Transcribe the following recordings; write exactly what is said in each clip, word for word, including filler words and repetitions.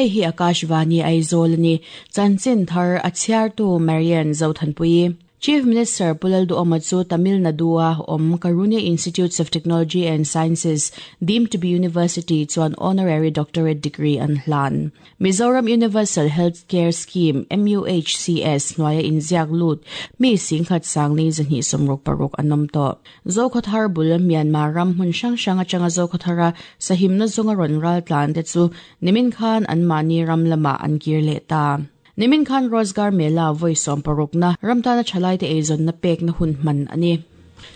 Hei hi Akashvani Aizawl ni chanchin thar a chhiartu Marian Zothanpui. Chief Minister Pu Lalduhoma chu Tamil Nadu-a awm Karunya Institutes of Technology and Sciences deemed to be university chuan honorary doctorate degree an hlan. Mizoram Universal Healthcare Scheme M U H C S hnuaia inziak lut mi singkhat sangli zahnih sawmruk paruk an awm tawh. Zokhawthar bul Myanmar ram hmun hrang hrang atanga Zokhawthara sahimna zawnga rawn ral tlan te chu nimin khan an mahni ram lamah an kir leh ta. Nimin khan Rozgar Mela vawi sawm parukna ramtana thalai te eizawnna pekna hun hman ani.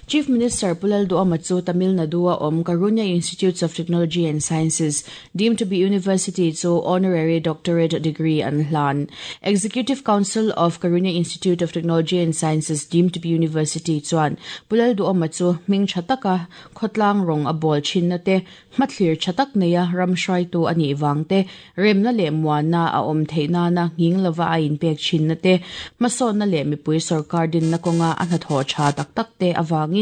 Chief Minister Pu Lalduhoma chu Tamil Nadu-a awm Karunya Institutes of Technology and Sciences deemed to be university chu honorary doctorate degree an hlan. Executive Council of Karunya Institute of Technology and Sciences deemed to be university chuan Pu Lalduhoma chu hming tha taka khawtlang rawng a bawl thinna te, hmathlir tha tak neia ram hruaitu anih vang te, remna leh muanna a awm theih nana nghing lova a inpek thinna te, hmasawnna leh mipui sarkar dinna kawnga a hnathawh tha tak tak te awangin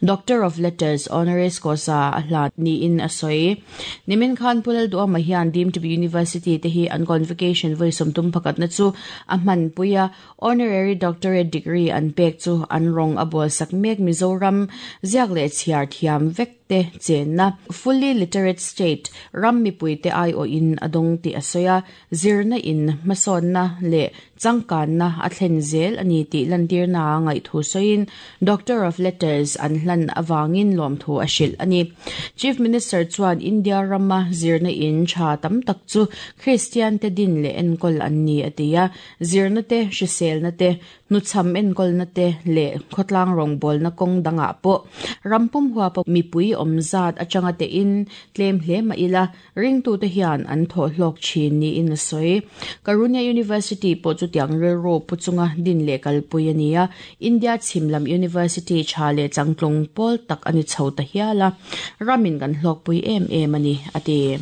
Doctor of Letters honoris causa a hlan niin a sawi. Nimin khan Pu Lalduhoma hian deemed to be university te hi an convocation vawi sawmthum pakhatna chu a hman puia. Honorary doctorate degree an pek chu an rawng a bawl sak mek Mizoram ziak leh chhiar thiam vek te chenna fully literate state ram mipui te ai o in adong ti asoya zirna in hmasawnna leh changkanna a thlen zel ani tih lantir na ngai thu soin Doctor of Letters an hlan awangin lawm thu a hrilh ani. Chief Minister chuan India rama zirna in tha tam tak chu Christian te din leh enkawl an ni atia. Zirna te, hriselna te, hnuchham enkawlna te leh khawtlang rawngbawlna kawng dangah pawh rampum huapa mipui awmzat atanga te in tlem hle mah ila ringtu te hian an thawh hlawk thin niin a sawi. Karunya University pawh chu tiang rilru pu chunga din leh kalpui ani a. India chhimlam University tha leh changtlung pawl tak ani chho ta hiala ramin kan hlawkpui em em ani ati.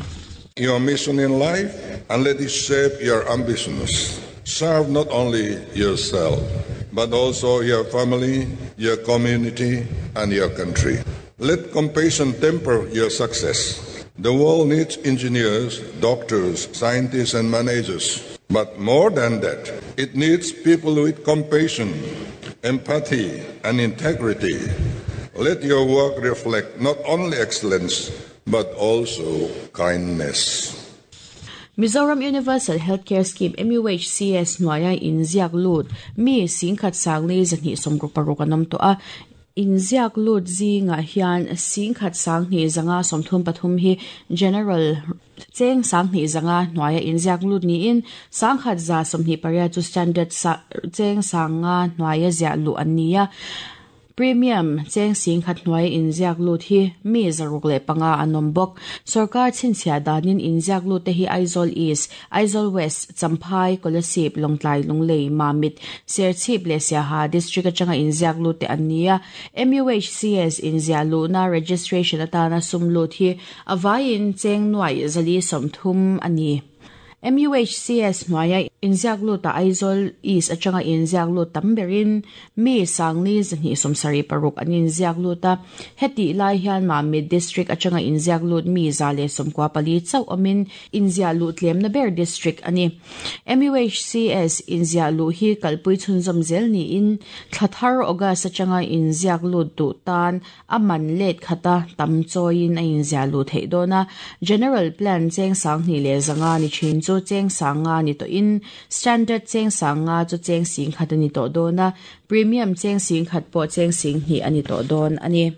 Your mission in life and let it shape your ambitions. Serve not only yourself, but also your family, your community, and your country. Let compassion temper your success. The world needs engineers, doctors, scientists, and managers. But more than that, it needs people with compassion, empathy, and integrity. Let your work reflect not only excellence, but also kindness. Mizoram Universal Healthcare Scheme M U H C S hnuaia inziak lut mi singkhat sangli zahnih sawmruk paruk an awm tawh a. Inziak lut zingah hian singkhat sanghnih zanga sawmthum pathum hi general cheng sanghnih zanga hnuaia inziak lut niin sangkhat za sawmhnih pariat chu standard sa cheng sanga hnuaia ziah luh an ni a. Premium cheng singkhat hnuaia inziak lut hi mi zaruk leh panga an awm bawk. Sarkar chhinchhiah danin inziak lut te hi Aizawl East, Aizawl West, Champhai, Kolasib, Lawngtlai, Lunglei, Mamit, Serchhip leh Siaha district atanga inziak lut te an ni a. M U H C S inziah luhna registration atana sum lut hi avaiin cheng nuai zali sawmthum ani. M U H C S hnuaia inziak lut a Aizawl East atanga inziak lut tam berin mi sangli zahnih sawmsarih paruk an inziak lut a. Heti lai hian Mamit district atanga inziak lut mi za leh sawmkua pali chauh awmin inziah luh tlemna ber district ani. M U H C S inziah luh hi kalpui chhunzawm zel niin thlathar August atanga inziak lut duh tan a man let khata tam chawiin a inziah luh theih dawn a. General plan cheng sanghnih leh zanga ni thin chu cheng sanga ni to in, standard cheng sanga chu cheng sing khat ani to dawn a, premium cheng sing khat pawh cheng sing hnih ani to dawn ani.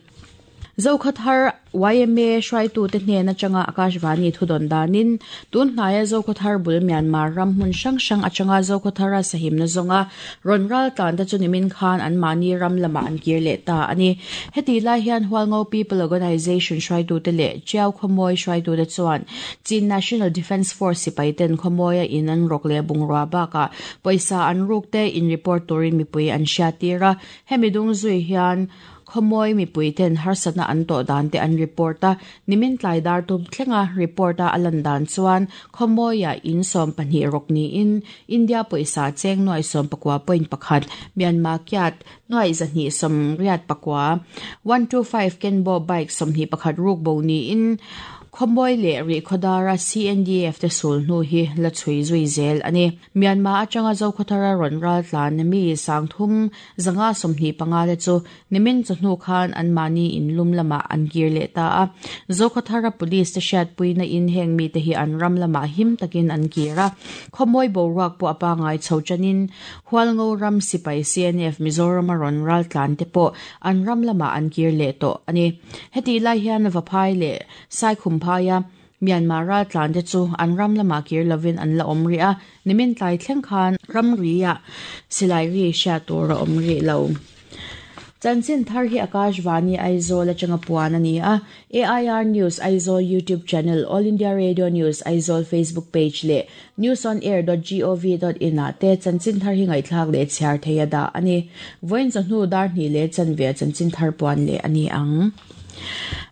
Zokhawthar Y M A hruaitu te hnen atanga Akashvani thudon danin tun hnaia Zokhawthar bul Myanmar ram hmun hrang hrang atanga Zokhawthara sahimna zawnga rawn ral tlan te chu nimin khan an mahni ram lamah an kir leh ta ani. Heti lai hian Hualngo People Organization hruaitu te leh Tiau Khawmawi hruaitu te chuan Chin National Defence Force sipai ten Khawmawia in an rawk leh bungrua bakah pawisa an ruk te in report turin mipui an hriattir a. Hemi dung zui hian Khawmawi mipui ten harsatna an tawh dan te an report a. Nimin tlai dar tum thlenga report a alan dan chuan Khawmawia in sawm pahnih rawk niin India pawisa cheng nuai sawm pakua point pakhat, Myanmar kyat nuai zahnih sawm riat pakua, one two five Kenbo bike sawmhnih pakhat ruk bo niin Khomoi le ri khodara C N D F te sul nu hi la chui zui zel ani. Myanmar atanga zo khothara ron ral tlan mi sangthum zanga somni panga le chu nimin chu hnu khan an mani in lum lama an gir le ta a. Zo khothara police te shat puina in heng mi te hi an ram lama him takin an kira. Khomoi bo ruak po apa ngai chochanin hualngo ram sipai C N F Mizoram ron ral tlan te po an ram lama an gir le to ani. Heti lai hian vaphai le sai khum phaya Myanmar ral tlan te chu an ram lama kir lovin an la omri a nimin tlai thleng khan ram ria silai ri sha tur a omri lo. Chanchin thar hi Akashvani Aizawl atanga puan ani a. A I R News Aizawl YouTube channel, All India Radio News Aizawl Facebook page le news on air dot gov dot in a te chanchin thar hi ngai thlak le chhiar theia da ani. Voin chu hnu dar ni le chanve chanchin thar puan le ani ang.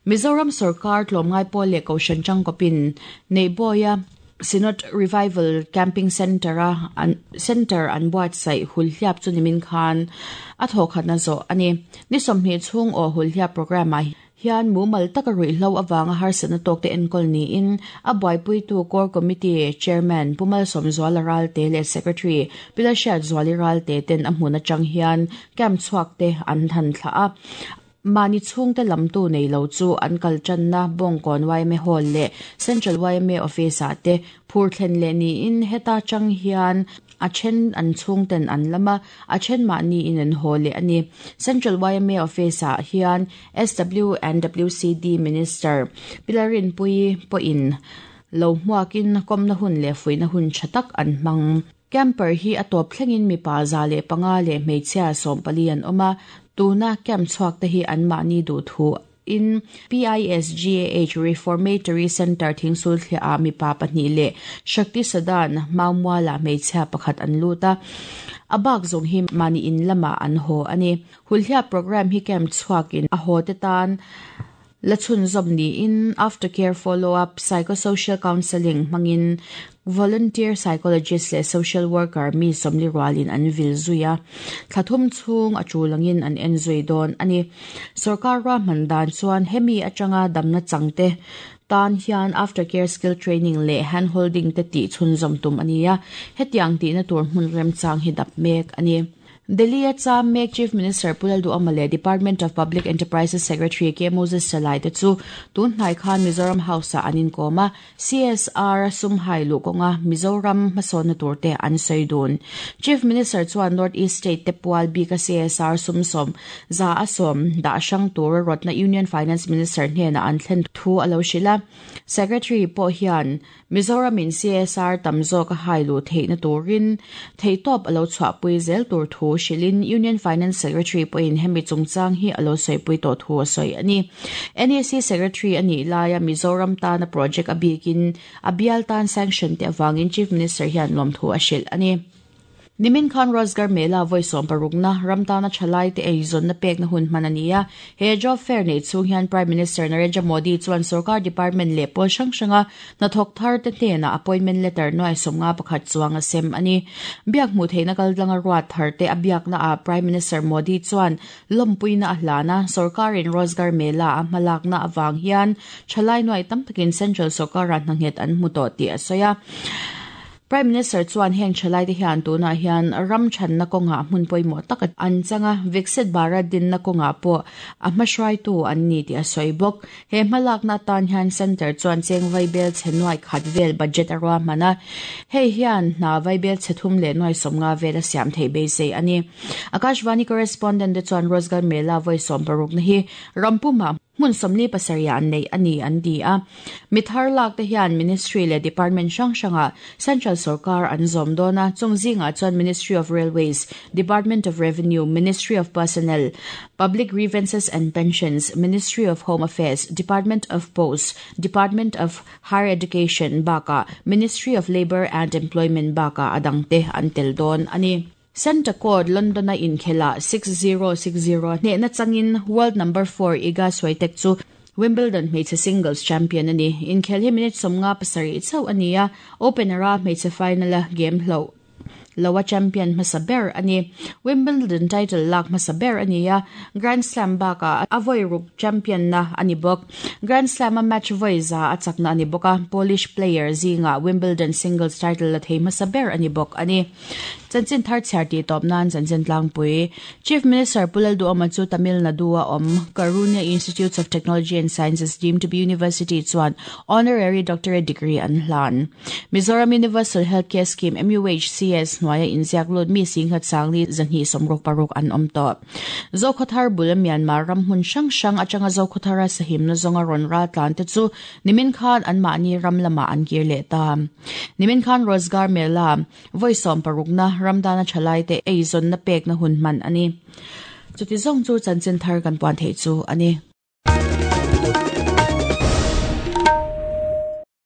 Mizoram Sarkar tlomngai pol le koshan changkopin neiboya Synod Revival Camping Center a an center an buat sai hulhiap chu nimin khan a thokhat na zo ani. Ni somhni chung o hulhiap program a hian mumal taka rui hlo awanga harsana tokte enkol ni in a buaipui tu core committee chairman Pumal Somzuala Ralte le secretary Pilashat Zuali Ralte ten a hmuna chang hian camp chuak te an than thla a. Mani chung te lamtu nei lo chu an kal chan na bongkon Y M A hall le Central Y M A office a te phur thlen le ni in heta chang hian a then an chung ten an lama a then ma ni in an hall le ani. Central Y M A office a hian S W and W C D Minister Pilarin Pui po in lo hmuakin komna hun le fuina hun chatak an mang. Camper hi atop thlengin mi pa za le panga le hmeichhia som pali an oma. Tuna camp chuak te hi an mani du thu in P I S G A H Reformatory Center thingsul thlia a mi pa pahnih le Shakti Sadan Maumwala hmeichhia pakhat an luta. Abak zong hi mani in lama an ho ani. Hulhia program hi camp chuak in a ho te tan lachun zom ni in aftercare follow-up psychosocial counseling mangin volunteer psychologist le social worker mi somli rualin an vil zuya. Thlathum chung achulangin an en zui don ani. Sarkar ra mandan chuan hemi atanga damna changte tan hian aftercare skill training le hand holding te ti chun zom tum ania. Hetiang ti na tur hmun rem chang hi dap mek ani. Delhi cha mek Chief Minister Pulal Du Amale Department of Public Enterprises Secretary K Moses Chalai te chu tun hnai khan Mizoram House a anin koma C S R sumhai lu konga Mizoram hmasawn na tur te an saidun. Chief Minister chuan North East State te pual bi ka C S R sumsom za asom da sang tur rotna Union Finance Minister hne na an thlen thu alo shila. Secretary po hian Mizoram in C S R tamzo ka hai lu theina turin theitop alo chwa pui zel tur thu shilin Union Finance Secretary po in hemi chungchang hi alo soi pui to thu soi ani. N A C Secretary ani laya Mizoram ta na project abikin abial tan sanction te awangin Chief Minister hian lom thu a shil ani. Nimin Khan Rozgar Mela voice on parugna ramtana chalai te eizon na pek na hun manania he job fair nei chung hian Prime Minister Narendra Modi chuan sarkar department le pol sang sanga na thok thar te te na appointment letter noi somnga pakhat chuanga sem ani. Biak mu theina kal langa ruat thar te abiak na a Prime Minister Modi chuan lompui na ahlana sarkar in Rozgar Mela a malak na awang hian chalai noi tam takin central sarkar ran hanghet an muto ti asoya. Prime Minister chuan heng chalai te hian tuna hian ram chan na konga hmun poimo tak an changa Viksit Bharat din na konga po a hmahruai tu an ni ti a soibok. He hmalak na tan hian center chuan cheng vaibel chenuai khat vel budget arwa mana hei hian na vaibel chethum le noi somnga vel a siam thei be sei ani. Akashvani correspondent chuan Rozgar Mela voi som paruk na hi rampuma mun somli pasaria an nei ani an di a mithar lak te hian ministry le department sang sanga central sarkar an zom dona chungzinga chuan Ministry of Railways, Department of Revenue, Ministry of Personnel, Public Grievances and Pensions, Ministry of Home Affairs, Department of Posts, Department of Higher Education baka Ministry of Labor and Employment baka adangte antel don ani. Centre Court London na inkhela six zero six zero ne na changin world number four Iga Swiatek chu Wimbledon hmeichhe singles champion ani. Inkhel hi minute somnga pasarih chauh ania openera hmeichhe final a game hlo Loa champion hmasa ber ani. Wimbledon title lak hmasa ber ani a. Grand Slam baka a voi ruk champion na ani bawk. Grand Slam a match voi za a chakna ani bawk a. Polish player zinga Wimbledon singles title la thei hmasa ber ani bawk ani. Chanchin thar chhiar ti tawp nan chanchin tlangpui. Chief Minister Pu Lalduhoma chu Tamil Nadu a awm Karunya Institutes of Technology and Sciences deemed to be university chuan honorary doctorate degree an hlan. Mizoram Universal Healthcare Scheme M U H C S hnuaia inziak lut mi singhat sangli zanhi somruk paruk an awm tawh. Zokhothar bul Myanmar ram hmun hrang hrang atanga Zokhothara sahim na zawnga rawn ral tlan te chu nimin khan an mahni ram lama an kir leh ta. Nimin khan Rozgar Mela voi sawm paruk na ramdana thalai te ei zawn na pek na hun hman ani. Chuti zawng chu chanchin thar kan puan thei chu ani.